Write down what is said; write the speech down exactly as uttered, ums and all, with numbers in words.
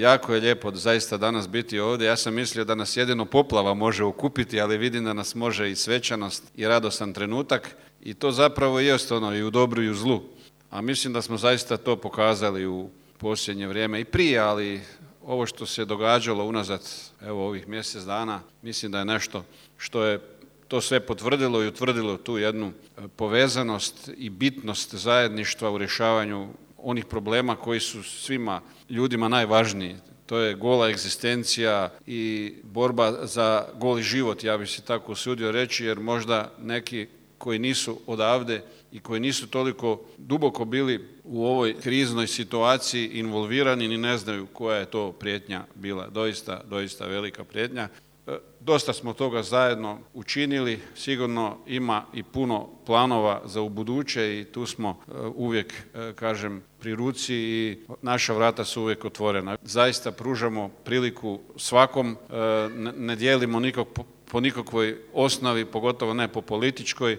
Jako je lijepo zaista danas biti ovdje. Ja sam mislio da nas jedino poplava može okupiti, ali vidim da nas može i svečanost i radostan trenutak. I to zapravo jest ono i u dobru i u zlu. A mislim da smo zaista to pokazali u posljednje vrijeme i prije, ali ovo što se događalo unazad evo ovih mjesec dana, mislim da je nešto što je to sve potvrdilo i utvrdilo tu jednu povezanost i bitnost zajedništva u rješavanju onih problema koji su svima ljudima najvažniji. To je gola egzistencija i borba za goli život, ja bih se tako usudio reći, jer možda neki koji nisu odavde i koji nisu toliko duboko bili u ovoj kriznoj situaciji involvirani ni ne znaju koja je to prijetnja bila. Doista, doista velika prijetnja. Dosta smo toga zajedno učinili, sigurno ima i puno planova za ubuduće i tu smo uvijek, kažem, pri ruci i naša vrata su uvijek otvorena. Zaista pružamo priliku svakom, ne dijelimo nikog po nikakvoj osnovi, pogotovo ne po političkoj.